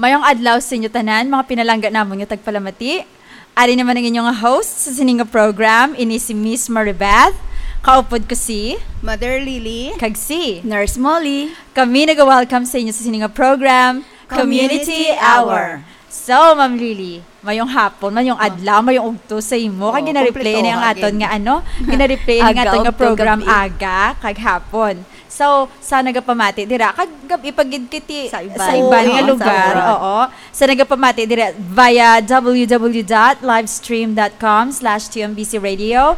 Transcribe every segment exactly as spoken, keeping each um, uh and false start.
Mayong adlaw sa inyo tanan, mga pinalangga namon nga tagpalamati. Ari naman ang inyong host sa sini nga program, ini si Miss Maribeth. Kaupod ko si Mother Lily. Kag si Nurse Molly. Kami nag-welcome sa inyo sa sini nga program, Community Community Hour. Hour. So, Ma'am Lily, mayong hapon, mayong adlaw, mayong ugto sa imo. Kag Oh, gina-replay ni ang kumpleto aton ka nga gid. Ano, gina-replay ni ang aton Agaw nga to program gabi. Aga kag hapon. So, sa nagapamati dira, kag gabi pa gid kiti Sa iban. Sa iban nga Oo, sa lugar. Iban. Oo. Sa nagapamati dira via w w w dot livestream dot com slash t m b c radio.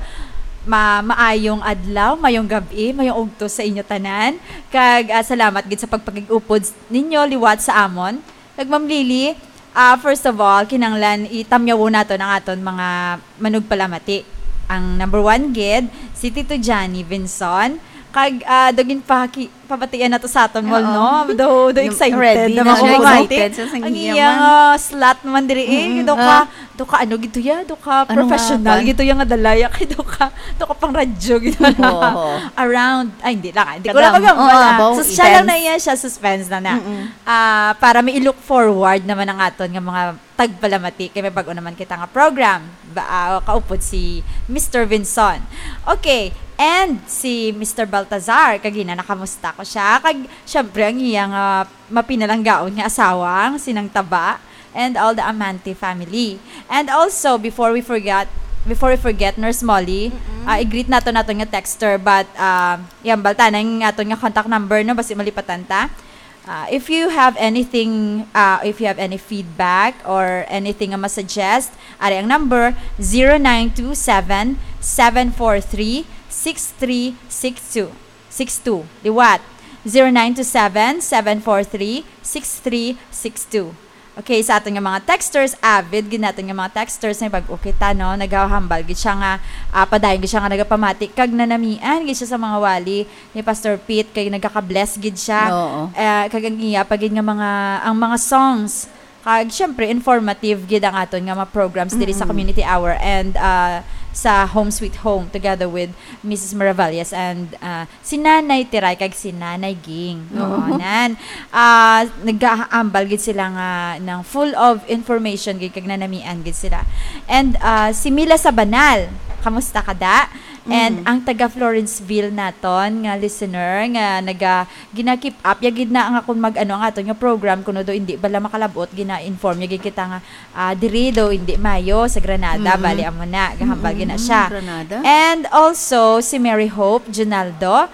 Ma maayong adlaw, mayong gabi, mayong ugto sa inyo tanan. Kag, ah, salamat gid sa pagpakig-upod ninyo liwat sa amon. Kag Ma'am Lily, ah, first of all, kinahanglan itamyawo naton ang aton mga manugpalamati. Ang number one gid, si Tito Johnny Vinson. Kag, ah, daw ginpaki-, pabatian nato sa aton mall, Oo. No? Daw, daw Yung excited ready na na siya, mapamati. Excited siya sa Ang iya iyang, man. Ah, slot man diri, eh. Mm-mm. Daw ka, Ah. daw ka ano gito ya? Daw ka Ano nga, professional kwan? Gito ya nga dalaya kay daw ka, daw ka pang radyo gito na. Oo. Around, ay, hindi lang, ah. Hindi ko na Kadam. Magambal, Oo, ah. About So, siya lang events. Na iya siya, suspense na na. Mm-mm. Ah, para may i-look forward naman ang aton nga mga tagpalamati kay may bag-o naman kita nga program. Ba, ah, kaupod si Mister Vinson. Okay, and si Mister Baltazar, kagina nakamusta ko siya. Kag, syempre, ang iya nga mapinalanggaon nga asawa, ang sinang taba, and all the Amante family. And also, before we forget, before we forget, Nurse Molly, Mm-mm. Ah, i-greet nato nato nga texter, but, ah, yan, balta na yung aton nga contact number, no? Basi malipatan ta. Ah, if you have anything, ah, if you have any feedback or anything nga masuggest, ari ang number, zero nine two seven, seven four three, six three six two. Six two. Liwat, zero nine two seven, seven four three, six three six two. Okay, sa aton nga mga texters, avid gid naton nga mga texters, may bag-o kita, no? Nagahambal gid siya nga, ah, padayon gid siya nga nagapamati, kag nanamian gid siya sa mga wali ni Pastor Pete, kay nagaka-bless gid siya. Oo. Eh, kag ang iya pa gid nga mga, ang mga songs, kag syempre, informative gid ang aton nga mga programs diri sa Mm-mm. Community Hour and, ah, sa Home Sweet Home together with Missus Miravalles and, ah, si Nanay Tiray kag si Nanay Ging. Oo. Oo, nan. Ah, nagaambal gid sila nga nang full of information gid kag nanamian gid sila. And, ah, si Mila Sabanal, kamusta ka, da? And Mm. Ang taga Florenceville naton nga listener nga naga-, gina-keep up ya gid na nga kung mag-ano ang aton nga program, kuno do hindi bala makalabot, gina-inform ya gid kita nga, ah, diri do hindi mayo sa Granada, Mm-mm. Bali amo na, gahambal gid na Mm-mm, siya. Granada. And also si Mary Hope Junaldo,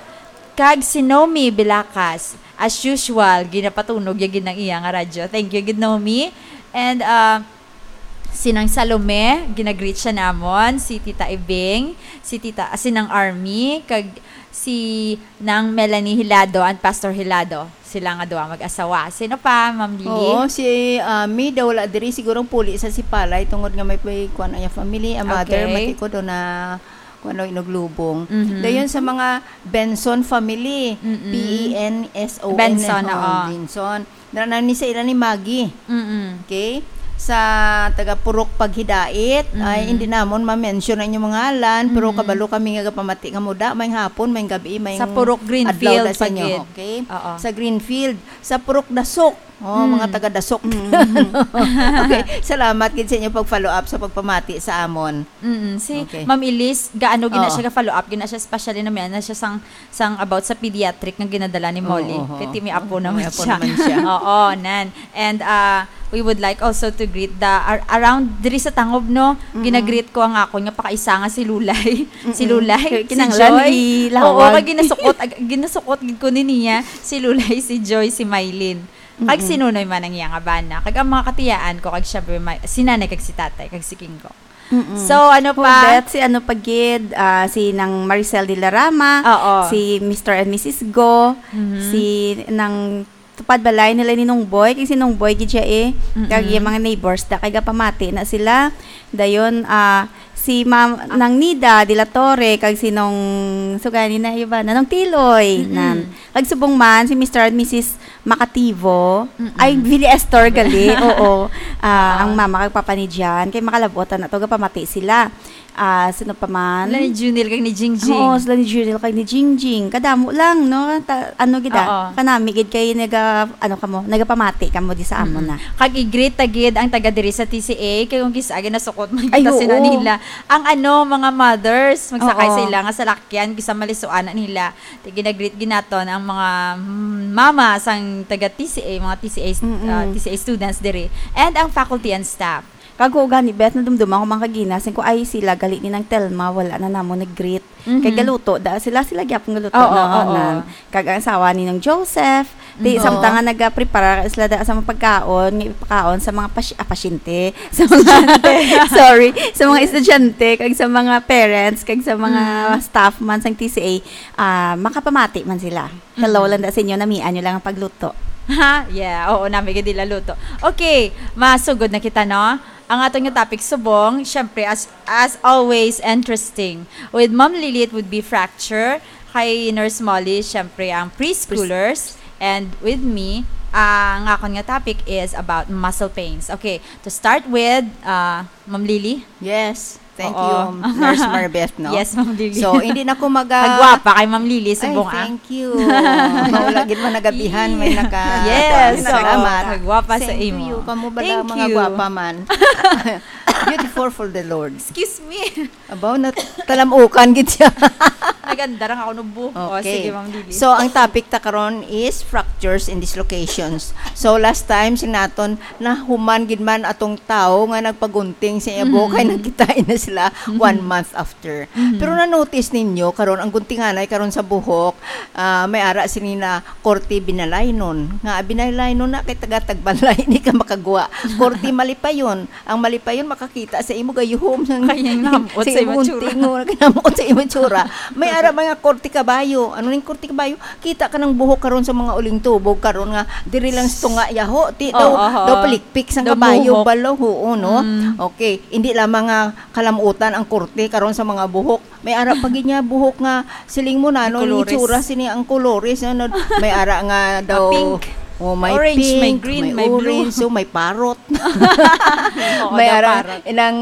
kag si Nomi Bilacas, as usual, ginapatunog ya gid ang iya nga radyo. Thank you gid, Nomi. And, ah, si Nang Salome, ginagreet siya namon, si Tita Ibing, si Tita, ah, si Nang Army, kag si Nang Melanie Hilado and Pastor Hilado. Sila nga duha mag-asawa. Sino pa, Ma'am Lily? Oo, si, ah, Mida wala diri, siguro puli sa Sipalay tungod nga may, may kuwan ang iya family, ang mother, Okay. Matikod o na kuwan o inuglubong. Mhm. Dayon sa mga Benson family, Mm-mm. P E N S O N, Benson, oo, oo. Benson. Dara na ni sa ila ni Maggie. Mm-mm. Okay? Sa taga Purok Paghidait, ay, Mm-mm. Hindi namon ma-mention ang inyong mga ngalan, pero Mm-mm. Kabalo kami nga gapamati nga muda, may hapon, may gabi, may Sa Purok Greenfield adlaw da sa inyo, pagid. Okay? Oo. Sa Greenfield, sa Purok Dasok. Oh, Mm. Mga taga Dasok. Mm. Okay, salamat gid sa inyo pag-follow up sa pagpamati sa amon. Mm, si Okay. Ma'am Elise, gaano gina Oo. Siya ga-follow up, gina siya, especially na may, na siya sang, sang about sa pediatric nga ginadala ni Molly. Oo, oo. Kay ti may apo Oo, naman may apo siya. Naman siya. Oo, nan. And, ah, we would like also to greet the, ar-, around diri sa Tangob, no? Mm-mm. Gina-greet ko ang akon nga pakaisa nga si Lulay. Si Mm-mm. Lulay, Kay si kinahanglan Joy. Ilawag. Oo, kay ginasukot, ag-, ginasukot gid ko ni niya, si Lulay, si Joy, si Mylene. Kag Mm-mm. Si Nunoy man ang iya nga bana. Kag ang mga katiyaan ko, kag syempre, may, si Nanay, kag si Tatay, kag si Kingo. Mm-mm. So, ano pa? Hubet, si ano pa gid, ah, si Nang Maricel de la Rama, Oo. Si Mister and Missus Go, Mhm. Si Nang Tupad Balay nila ni Nong Boy, kay si Nong Boy gid siya eh. Mm-mm. Kag yung mga neighbors, da kay gapamati na sila. Dayon, ah, si Ma'am Nang Nida de la Torre, kag si Nong, sugani na, iba na, Nong Tiloy, Mm-mm. Nan. Kag subong man, si Mister and Missus Makativo, Mm-mm. Ay, Billy Estor gali, oo. Ah, Oo. Ang mama kag papa ni Jan, kay makalabutan na to, gapamati sila. Ah, sino pa man? Sila ni Junil kag ni Jingjing. Oo, sila ni Junil kag ni Jingjing. Kadamo lang, no? Ta- ano gid, ah? Oo. Kanami gid kay naga, ano kamo, nagapamati kamo di sa amo na. Kag i-greet ta gid ang taga diri sa T C A, kay kung kis-a ginasukot man Ay, kita sila oo. nila. Ang ano, mga mothers, magsakay Oo. sila nga salakyan, kisa malisuanan nila. Ti gina-greet gid naton ang mga mm, mama sang taga T C A, mga T C A, Mm-mm. ah, T C A students diri, and ang faculty and staff. Kag ko gani, Beth, nadumduman ko man kagina, sing ko, ay, sila gali ni Nang Telma, wala na namo nag-greet. Mhm. Kay galuto da sila, sila gyapon galuto Oo, na, oo. nan. Kag ang asawa ni Nang Joseph, ti Mhm. samtang nga nagaprepara sila da sa mga pagkaon, nga ipakaon sa mga pas- ah, pasyente, sa mga, sorry, sa mga estudyante, kag sa mga parents, kag sa mga Mhm. staff man sang T C A, ah, makapamati man sila. Hello Mhm. lang da sa inyo, namian nyo lang ang pagluto. Ha? Yeah, oo, nami gid nila luto. Okay, masugod na kita, no? Ang aton nga topic subong, syempre, as as always, interesting. With Ma'am Lily, it would be fracture. Kay Nurse Molly, syempre, ang preschoolers. And with me, ang akon nga topic is about muscle pains. Okay, to start with, uh, Ma'am Lily. Yes. Thank Oo. you, Nurse Marbeth, no? Yes, Ma'am Lily. So, hindi na ko maga- Kagwapa kay Ma'am Lily Ay, subong, ah. Thank you. Maula gid man nagabihan, may naka- Yes, Salamat. oo. Kagwapa sa Same to imo. You. Kamo bala Thank mga you. Gwapa man. Beautiful for the Lord. Excuse me. Abaw na talamukan gid siya. Naganda ra nga ako nubo. O, Okay. Sige, Ma'am Lily. So, ang topic ta karon is fractures and dislocations. So, last time, sinaton, nahuman gid man atong tawo nga nagpagunting sa iya buhok, kay Mm. nagkita na sila Mhm. one month after. Mhm. Pero na-notice ninyo, karon ang guntinganay karon sa buhok, ah, may ara sini na korte binalaynon. Nga binalaynon na kay taga-tagbalay, di ka makagwa. Korte malipayon. Ang malipayon makakita sa imo gayuhom. Kaya nga, namot Sa sa imo imo tsura. gunting, oh, kinamot sa imo tsura. May ara mga korte kabayo. Ano ning korte kabayo? Kita ka ng buhok karon sa mga uling tubog karon nga diri lang sa tunga yaho. Ti daw, Oo, oo. daw palikpik sang Daw kabayo, buhok. balaw, oo, no? Mm. Okay, hindi lamang nga kalamutan ang korte karon sa mga buhok. May ara pa gid niya buhok nga siling mo na, May ano ning kolores. tsura sini ang kolores, no? May ara nga daw, Pink. Oh, may Orange, pink, may green, may may blue. Orange, so may parrot. Oo, May daw ara parrot. inang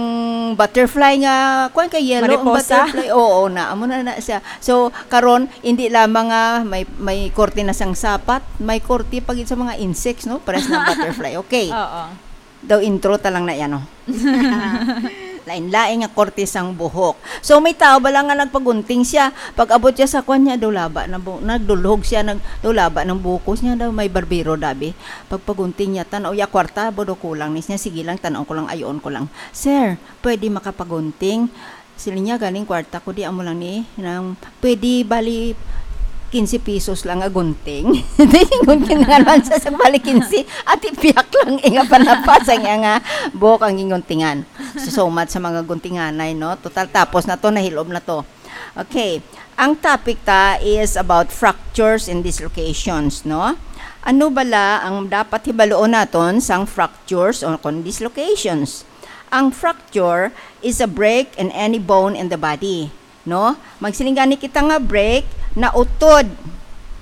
butterfly nga, kuwan ka, yellow ang Mariposa? Butterfly. Oo, na, amo na na siya. So, karon, hindi lamang nga may, may korte na sang sapat, may korte pa gid sa mga insects, no? Pares ng butterfly. Okay. Oo. Daw intro ta lang na yan, no? Lain-lain nga korte sang buhok. So, may tao bala nga nagpagunting siya. Pag abot siya sa kwan niya, daw laba na bu- nagdulhog siya, nag, daw laba ng bukos niya, daw may barbero dabi. Pagpagunting niya, tanaw ya kwarta, bodo kulang ni siya, sige lang, tanaw ko lang, ayoon ko lang. "Sir, pwede makapagunting?" Sila niya, "Galing kwarta ko, di amo lang ni, nang, pwede bali quince pesos lang agunting." Di, gunting nga naman sa, sa bali quince, ati piyak lang, inga panapasang iya nga buhok ang ginguntingan. So, so much sa mga guntinganay, no? Total, tapos na to, nahilob na to. Okay. Ang topic ta is about fractures and dislocations, no? Ano bala ang dapat hibaluon naton sang fractures o kon dislocations? Ang fracture is a break in any bone in the body, no? Magsiling gani kita nga break, nautod.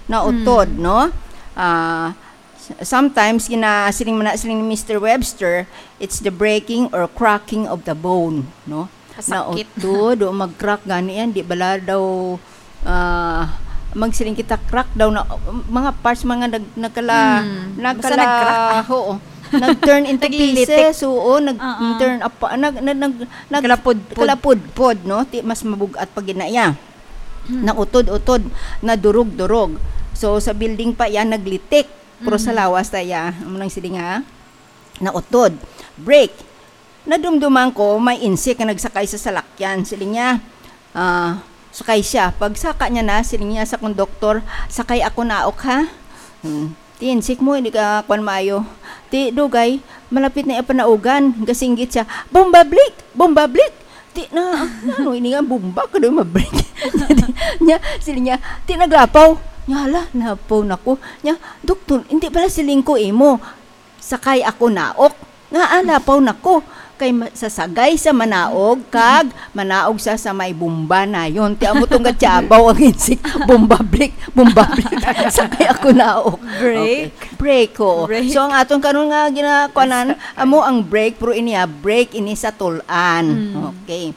Nautod, Mm. no? Ah, s- sometimes, gina, siling man na, siling ni Mister Webster, it's the breaking or cracking of the bone, no? Kasakit. Nautod, o mag-crack gani yan, di bala daw, ah, magsiling kita crack daw na, mga parts, mga nag, nagkala, Hmm. Basta nagkala, nag-crack, ah. Oo. Nag-turn into Naglilitik. Pieces, oo, nag, Ah, ah. turn up, nag, nag, nag, nag, Kalapudpod. Kalapudpod, no? Ti, mas mabugat pa gina iya. Hmm. Nautod-utod, nadurog-durog. So, sa building pa iya, naglitik. Pero sa Mhm. lawas ta iya, amo nang sila nga, nautod. Break. Nadumduman ko, may insik nga nagsakay sa salakyan. Siling niya, ah, sakay siya. Pagsaka niya na, siling niya sa konduktor, "Sakay ako naok, ha?" Hmm. "Ti insik mo, hindi ka kwan maayo." Ti dugay, malapit na iya panaugan. Gasinggit siya, "Bomba blik! Bomba blik!" Ti na, ano ini nga bomba? Kado mabrik. Niya, siling niya, ti naglapaw. Niya, "Hala, lapaw na ko." Niya, "Doktor, hindi pala siling ko imo. Sakay ako naok. Nga, ah, lapaw na ko. Kay ma- sa sagay sa manaog, kag manaog sa, sa may bomba na yun." Ti amo tong gatyabaw ang insik. "Bomba blik, bomba blik. Sakay ako naok." Break? Okay. Break, oo. Break. So, ang aton karon nga ginakuanan, amo ang break, pero ini, ah, break ini sa tulan. Mm. Okay.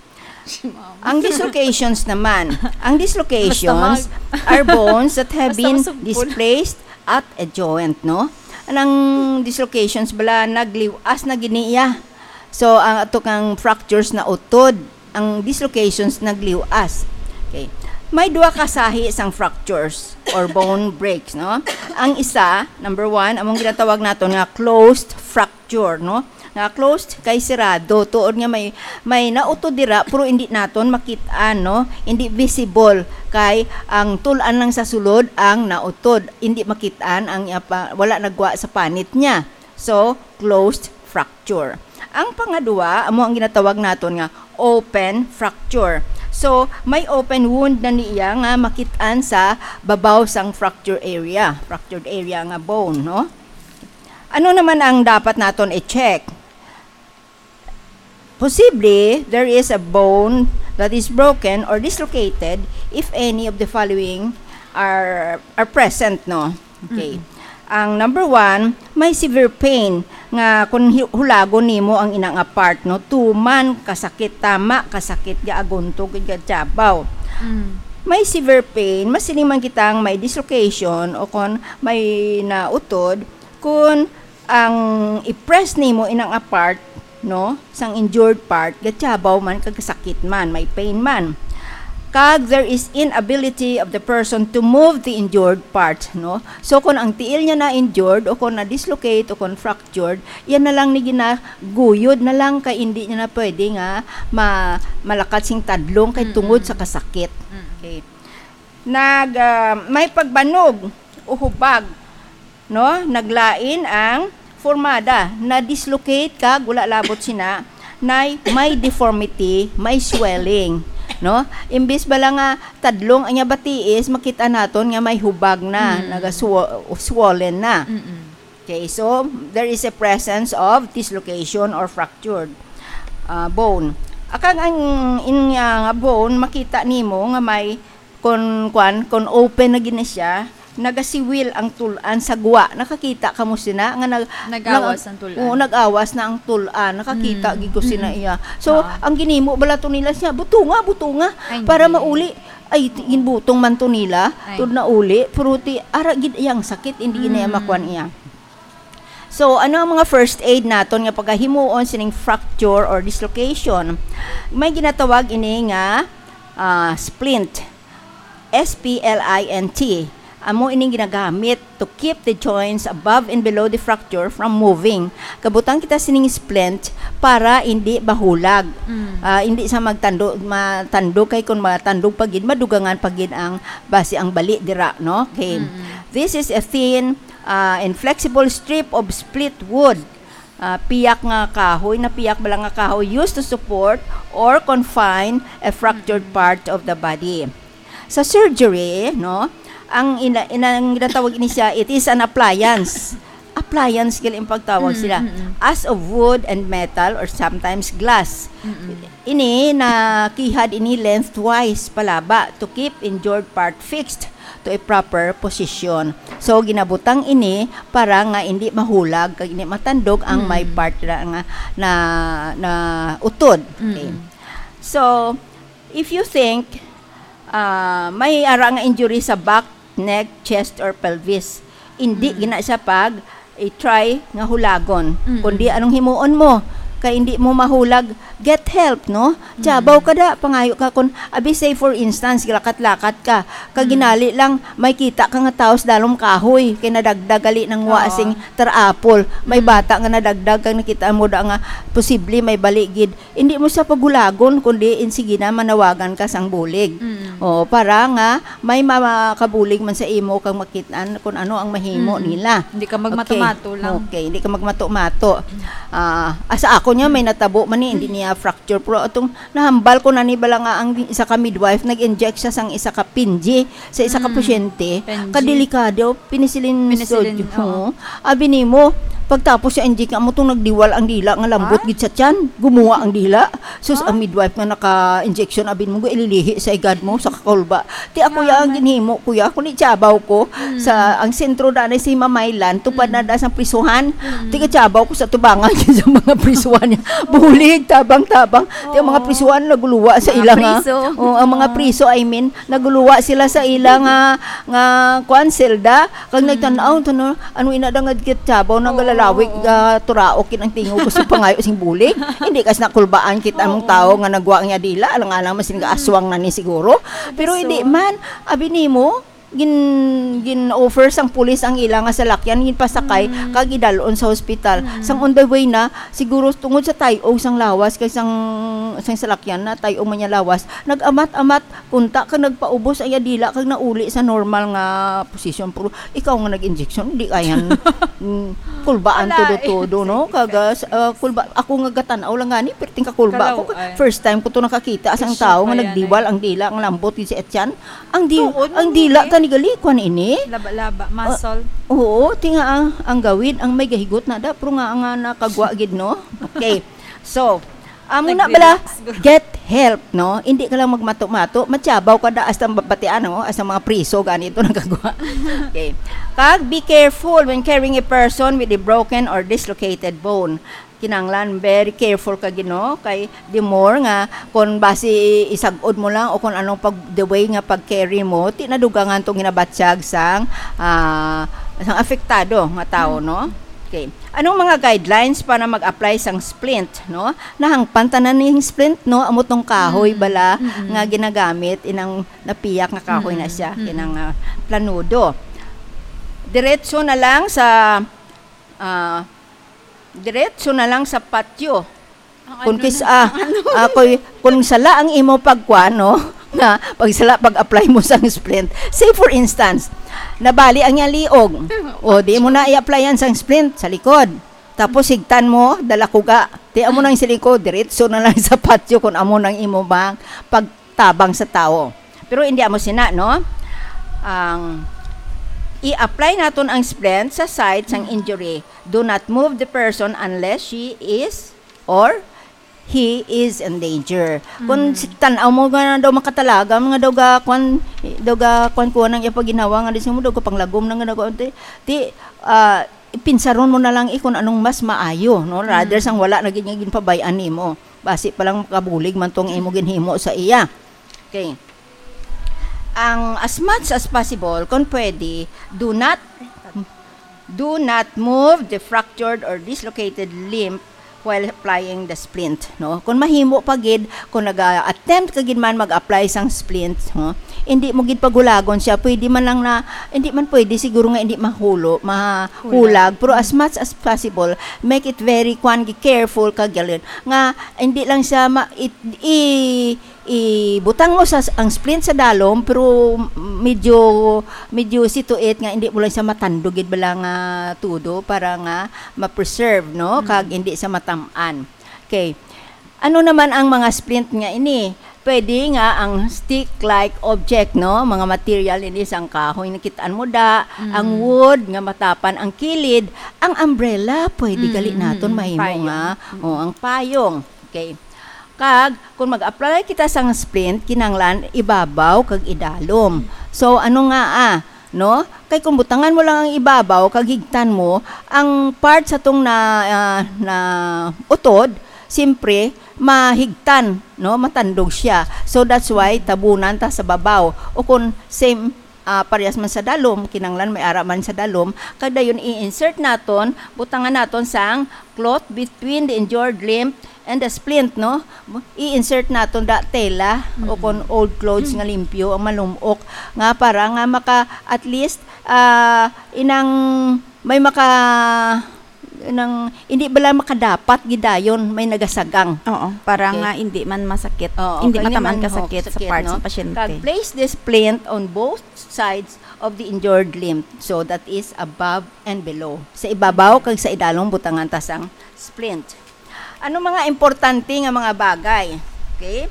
Ang dislocations naman, ang dislocations are bones that have been displaced at a joint, no? Ang dislocations bala nagliwas na giniya. So, ang ato kang fractures na utod, ang dislocations nagliwas. Okay. May dua ka sahi sang fractures or bone breaks, no? Ang isa, number one, among ginatawag naton nga closed fracture, no? Nga closed kay sirado, tuod nga may, may nautod dira, pero hindi naton makit-an, no? Hindi visible kay ang tul-an lang sa sulod ang nautod. Hindi makit-an ang iya pa, wala nagwa sa panit niya. So, closed fracture. Ang pangadua, amo ang ginatawag naton nga open fracture. So, may open wound na niya nga makit-an sa babaw sang fracture area, fractured area nga bone, no? Ano naman ang dapat naton i-check? Posible, there is a bone that is broken or dislocated if any of the following are are present, no? Okay. Mm. Ang number one, may severe pain nga kung hi-, hulagon nimo ang ina nga part, no, tuman kasakit, tama kasakit, gaaguntog, gatiyabaw. Mm. May severe pain, masiling man kitang may dislocation o kon may nautod, kun ang i-press nimo inang a part, no, sang injured part, gatiyabaw man kag sakit man, may pain man. Kag there is inability of the person to move the injured part, no? So, kung ang tiil niya na-injured o kung na-dislocate o kung fractured, yan na lang ni ginaguyod na lang kay hindi niya na pwede nga ma-, malakat sing tadlong kay Mm-mm. tungod sa kasakit. Mm. Okay. Nag, ah, may pagbanog o hubag, no? Naglain ang formada, na-dislocate kag wala labot sina, nay may deformity, may swelling, no? Imbis bala nga tadlong ang iya batiis, makita naton nga may hubag na, Mm. nagaswo-, swollen na. Mm-mm. Okay, so there is a presence of dislocation or fractured, ah, bone. Akag ang inya nga bone, makita nimo nga may kon, kwan, kon open na gini siya, nagasiwil ang tul-an sa gwa. Nakakita ka mo sina nga nag-, Nag-awas nag-, ang tul-an. Oo, nag-awas na ang tul-an. Nakakita Mm. gid ko sina Mm. iya. So, Oo. ang ginimo bala to nila siya, butunga, butunga, Ay, para hindi. mauli. Ay, ti-, ginbutong man to nila, Ay. tud na uli, pero ti, ara gid iya ang sakit, hindi gid na iya Mm. makuan iya. So, ano ang mga first aid naton nga pagahimuon sining fracture or dislocation? May ginatawag ini nga, ah, splint. S P L I N T. Amo ining ginagamit to keep the joints above and below the fracture from moving. Kabutang kita sining splint para hindi mahulag. Mm. Ah, hindi sa magtando-, matandog kay kung matandog pa gid, madugangan pa gid ang basi ang bali dira, no? Okay. Mm-mm. This is a thin, ah, inflexible strip of split wood. Ah, piyak nga kahoy, na piyak bala nga kahoy used to support or confine a fractured Mm-mm. part of the body. Sa surgery, no, ang ina-, ina-, ang ginatawag ini siya, it is an appliance. Appliance gali ang pagtawag Mm, sila. Mm-mm. As of wood and metal or sometimes glass. Mm-mm. Ini nakihad ini lengthwise palaba to keep injured part fixed to a proper position. So, ginabutang ini para nga hindi mahulag kag hindi matandog ang may Mm. part na nga na, na utod. Okay. Mm. So, if you think, ah, may ara nga injury sa back, neck, chest, or pelvis, hindi Mm. gina siya pag i-try nga hulagon. Mm-mm. Kundi anong himuon mo? Kay hindi mo mahulag, get help, no? Tiyabaw Mm. ka da, pangayo ka kun, abi, say for instance, gilakat-lakat ka, kag Mm. ginali lang, may kita ka nga tawo sa dalom kahoy, kay nadagdag gali nang wa Oo. sing tarapol, may Mm. bata nga nadagdag, kag nakita mo da nga posible may bali gid. Hindi mo siya paghulagon, kundi in sige na, manawagan ka sang bulig. Mm. Oo, para nga may ma-, makabulig man sa imo kag makit-an kung ano ang mahimo Mm. nila. Hindi ka magmato-mato Okay. lang. Okay, hindi ka magmato-mato. Ah, asa ako niya, may natabo man ni, hindi niya fracture. Pero atong nahambal ko na ni bala nga ang isa ka midwife, nag-inject siya sang isa ka pinji sa isa ka Mm. pasyente. Pinji. Kadelikado, penicillin Penicillin, sodium. Oo. Oo. Abi nimo, Pagtapos sa inject nga mo tong nagdiwal ang dila nga lambot Ah? gid sa tiyan, gumuha ang dila. Sus, Ah? ang midwife nga naka-injection, abin mo, ililihi sa igad mo, sa kakulba. Ti ako Nga ya ang man. ginhimo, kuya, kung itsabaw ko, Mm. sa, ang sentro na na si Mamaylan, tupad na Mm. da sa prisuhan. Mm. Ti itsabaw ko sa tubangan sa mga prisuhan niya. Bulig, tabang-tabang. Ti ang mga Oo. prisuhan naguluwa sa Mga ila nga. priso. Oh, ang mga Oo. priso, I mean, naguluwa sila sa ila nga, nga, kuan, selda. Kag Mm. nagtan-aw, tan-aw, ano ina da nga gitsabaw, nang Oo, galalawig, oo. ah, turaok, kin ang tingog ko sa pangayo sing bulig. Hindi kas nakulbaan kita ang Oo. tao nga nagwa nga dila, alang-alang masin Mm. aswang na ni siguro. Pero So, hindi man, abi nimo, gin-, gin-offer sang pulis ang ila nga salakyan, ginpasakay, Mm. kag idalon sa hospital. Mm. Sang on the way na, siguro tungod sa tay-og sang lawas, kag sang, sang salakyan na tay-og man niya lawas, nag-amat-amat, kunta ka nagpaubos ang iya dila kag nauli sa normal nga posisyon. Pero ikaw nga nag-injection, di kayan, mm, kulbaan Wala, eh. todo-todo, no? Kag, ah, s-, ah, kulba, ako nga gatan-aw lang gani, perting kakulba Kalaw, ako. ay. First time ko to nakakita, sang Issue tao pa nga yan, nagdiwal eh. ang dila, ang lambot, gid si Etienne. Ang di-, Tuod ang man dila ini. Tani gali, kwan ini? Laba-laba, Ah, muscle. oo, ti nga ang, ang gawid, ang may gahigot na da, pero nga, nga nakagwa gid, no? Okay. So, amo na bala, Nag-relax. Get help, no? Hindi ka lang magmato-mato, matyabaw ka da, hasta mabatian, no? Hasta mga priso, ganito nagkagwa. Okay. Kag be careful when carrying a person with a broken or dislocated bone. Kinahanglan, very careful ka, Ginoo, kay the more nga, kung basi isag-od mo lang o kung anong pag, the way nga pag-carry mo, ti nadugangan tong ginabatyag sang, ah, sang apektado nga tawo, Hmm. no? Okay. Anong mga guidelines para mag-apply sang splint, no? Nahangpan tanan ning splint, no? Amo tong kahoy Mm. bala Mm-mm. nga ginagamit, inang napiyak nga kahoy na Mm. siya, Mm-mm. inang, ah, planudo. Diretso na lang sa, ah, diretso na lang sa patio. Ang Kung ano kis-, na, ah, ang ano? ah, kung, kung sala ang imo pagkuan, no? Nga, pag sala, pag-apply mo sang splint. Say, for instance, nabali ang iyang liog. O, di mo na i-applyan sang splint sa likod. Tapos, higtan mo, dala ko ga. Ti amo nang siling ko, diretso na lang sa patio kung amo nang imo bang pagtabang sa tao. Pero hindi amo sina, no? Ang i-apply naton ang splint sa site sang injury. Do not move the person unless she is or he is in danger. Kung Mm. si, tan-aw mo nga daw makatalagam, nga daw ga, kwan, daw ga, kwan, kuha nang iya paginawa, nga di mo daw kapanglagom na nga daw, ti, ti, ah, pinsaron mo na lang, eh, kung anong mas maayo, no? Rather Mm. sang wala na gid nga ginpabay-an nimo. Basi pa lang makabulig man tong imo ginhimo sa iya. Okay. Ang as much as possible, kung pwede, do not, do not move the fractured or dislocated limb while applying the splint, no? Kung mahimo pa gid, kung naga-attempt ka gid man mag-apply sang splint, no? Hindi mo gid pagulagon siya, pwede man lang na, hindi man pwede siguro nga hindi mahulo, mahulag, Hulag. pero as much as possible, make it very, kwan, careful ka, galin, nga hindi lang siya ma-, it, i-, ibutang mo sa, ang splint sa dalom, pero medyo, medyo situit nga hindi mo lang siya matandog gid bala nga tudo para nga ma-preserve, no? Mm. Kag hindi siya matam-an. Okay. Ano naman ang mga splint nga ini? Pwede nga ang stick-like object, no? Mga material ini sang kahoy, nakitaan mo da, Mm. ang wood nga matapan ang kilid, ang umbrella, pwede gali Mm, naton mm, mahimo payong. nga, Mm. o, ang payong. Okay. Kag kung mag-apply kita sang splint, kinahanglan ibabaw kag idalom. So, ano nga, ah, no? Kay kung butangan mo lang ang ibabaw kag higtan mo, ang part sa tong na, ah, na utod, siyempre, mahigtan, no? Matandog siya. So, that's why tabunan ta sa babaw. O kung same, ah, parehas man sa dalom, kinanglan may ara man sa dalom, kag dayon i-insert naton, butangan naton sang cloth between the injured limb and the splint, no? I-insert naton da tela o Mm. kon old clothes nga limpyo ang malum-ok nga para nga maka, at least, ah, inang may maka, nang, hindi bala makadapat gidayon, may nagasagang. Oo, para Okay. nga hindi man masakit. Oo, Hindi kanya matamaan man, ka ho, sakit sa sakit, part no? sa pasyente. Kag place the splint on both sides of the injured limb. So, that is above and below. Sa ibabaw kag sa idalom butangan ta sang splint. Ano mga importante nga mga bagay? Okay?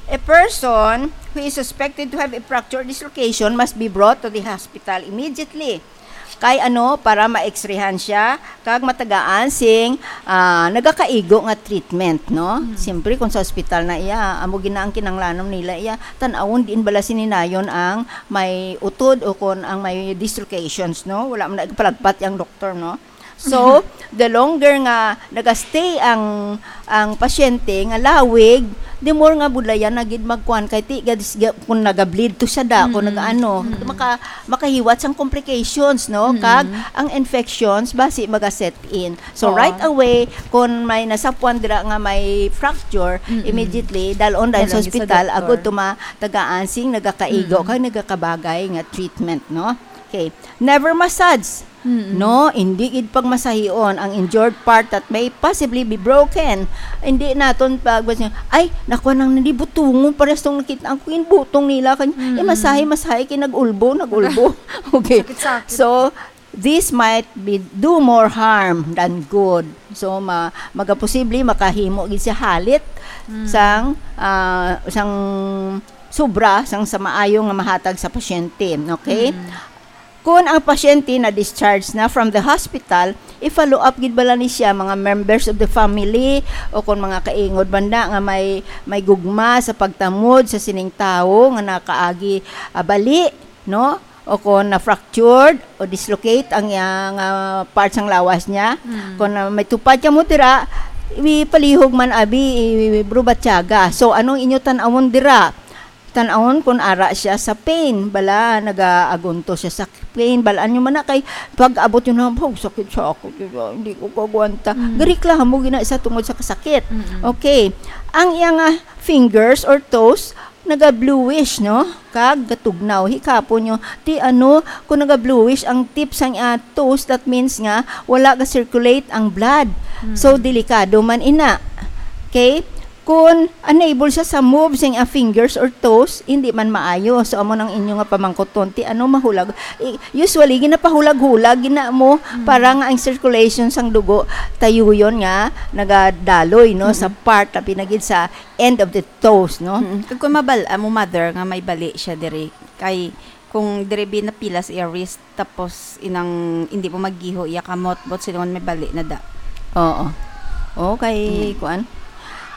A person who is suspected to have a fracture dislocation must be brought to the hospital immediately. Kay ano, para ma-X-rayhan siya, kag matagaan sing, ah, nagakaigo nga treatment, no? Mm. Siyempre, kung sa ospital na iya, amo gina ang kinanglanon nila iya, tan-awon diin bala sini nayon ang may utod o kon ang may dislocations, no? Wala man na palagpat yang doktor, no? So, the longer nga nagastay ang, ang pasyente nga lawig, the more nga budlayan na gid magkuan kay ti-, gad-, ga-, kung naga-bleed to siya da, kung Mm-mm. nag-ano, Mm-mm. maka-, makahiwat sang complications, no? Mm-mm. Kag ang infections basi maga-set in. So, Oo. right away, kung may nasapuan dira nga may fracture, Mm-mm. immediately, dalon dahil sa Dalon sa ospital, doktor. agud tuma-, tagaan sing nagakaigo, Mm-mm. kag nagakabagay nga treatment, no? Okay. Never massage. Mm-mm. No, hindi gid pagmasahion ang injured part that may possibly be broken. Hindi naton pag, "Ay, nakuha nang nalibutungon, parehas tong nakita ang kuin butong nila." Kan, Mm-mm. eh, masahe, masahe, kay nag-ulbo, nag-ulbo. Okay. Sakit-sakit. So, this might be, do more harm than good. So, ma-, magaposible, makahimo gid siya halit Mm. sang, ah, sang sobra, sang sa maayo nga mahatag sa pasyente. Okay? Mm. Kon ang pasyente na-discharge na from the hospital, i-follow up gid bala ni siya mga members of the family o kon mga kaingod banda nga may, may gugma sa pagtamod sa sining tawo nga nakaagi, ah, bali, no? O kon na-fractured o dislocate ang iyang, ah, parts sang lawas niya. Mm. Kon, ah, may tupad kamo dira, ipalihog man abi, i-, bro, batyaga. So, anong inyo tan-awon dira? Tan-awon kung ara siya sa pain. Bala, nagaagunto siya sa pain. Balaan nyo man na kay pag-abot yun na, "Oh, sakit sa ako. Hindi ko kagwanta." Mm. Gareklamo gina sa tungod sa kasakit. Mm-mm. Okay. Ang iyang, ah, fingers or toes, naga-bluish, no? Kag gatugnaw. Hikapon nyo, ti ano, kung naga-bluish ang tips sang, ah, toes, that means nga wala ga-circulate ang blood. Mm. So, delikado man ina. Okay? Kung unable siya sa move sing, ah, fingers or toes, hindi man maayo. So, amo nang inyo nga pamangkuton, ti ano mahulag. I-, usually, ginapahulag-hulag, gina mo, Mm. para nga ang circulation sang dugo tayuyon nga nagadaloy, no, sa Mm. part, labi na gid sa end of the toes, no? Mm. Kag kung mabal-, ah, mo mother nga may bali siya diri, kay kung diri bi napilas iya wrist, tapos inang hindi mo maggiho iya kamot, but silingon may bali na da. Oo. Okay, Mm. kuan.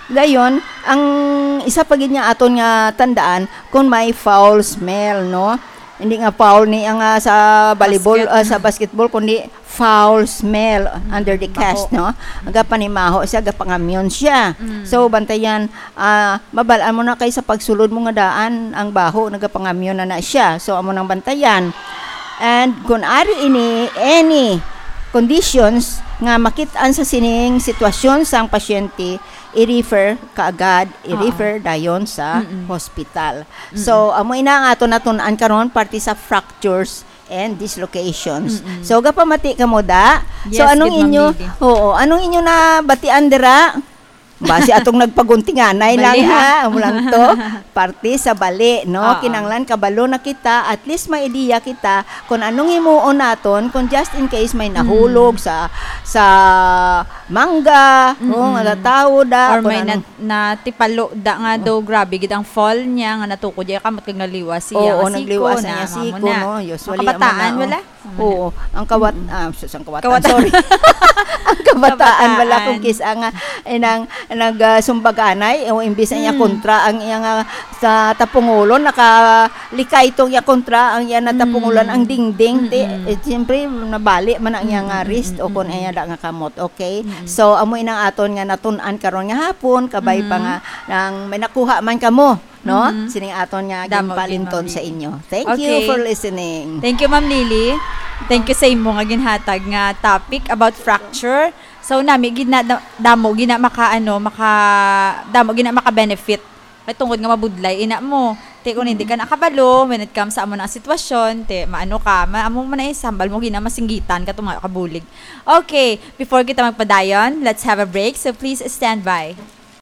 Dayon, ang isa pa gid nga aton nga tandaan, kung may foul smell, no? Hindi nga foul ni ang, ah, sa volleyball, Basket. ah, sa basketball, kundi foul smell Mm, under the baho. cast, no? Nagapanimaho siya, gapangamyon siya. Mm. So, bantayan, ah, mabal-an mo na kay sa pagsulod mo nga daan, ang baho, nagapangamyon na na siya. So, amo nang bantayan. And kung ari ini, any conditions nga makit-an sa sining sitwasyon sang pasyente, i-refer kaagad, Oo. i-refer dayon sa Mm-mm. hospital. Mm-mm. So, amo ina ang aton natun-an karon, parte sa fractures and dislocations. Mm-mm. So, gapamati kamo da. So, Yes, anong good, Ma'am inyo, Lily. oo, anong inyo nabatian dira? Basi atong nagpaguntinganay lang, Bali, ha? ah. Amo lang to. Parte sa bali, no? Oo. Kinahanglan kabalo na kita, at least may ideya kita kung anong himuon naton kung just in case may Mm. nahulog sa, sa mangga, Mm-mm. kung natatawo da, Or kung may anong nat-, natipalo da nga daw, grabe gid ang fall niya, nga natuko dya kamot kag naliwas siya. Oo, Nga siko nagliwasan na, niya amo siko, na. no? Usually, Ang kabataan, amo na, oh. wala? Oo, ang kawat-, Mm-mm. ah, sus, ang kawatan, Kawat-, sorry. Ang kabataan, wala kung Kabataan. kis-a nga, eh, nang, nag, ah, sumbaganay, o imbis na iya Mm. kontra ang iya nga sa tapungulon, nakalikay tong iya kontra ang iya natapungulan, Mm. ang dingding, ti, Mm-mm. eh, siyempre, nabali man ang iya nga Mm-mm, wrist o kung mm-mm. iya da nga kamot, okay? Mm-mm. So, amo inang aton nga natun-an karon nga hapon, kabay pa Mm. nga, nang may nakuha man kamo, no? Mhm. Sining aton nga Damo gid, ginpalinton Ma'am sa Lily. inyo. Thank you Okay. for listening. Thank you, Ma'am Lily. Thank you sa imo nga ginhatag nga topic about fracture. So, nami gid na, da-, damo gid na maka, ano, maka, damo gid na maka-benefit. Kay tungod nga mabudlay, ina mo. Te, kung hindi ka nakabalo, when it comes sa amo na sitwasyon, te, maano ka, ma-, amo man na isambal mo, gina masinggitan ka, tunga ka bulig. Okay, before kita magpadayon, let's have a break. So, please stand by.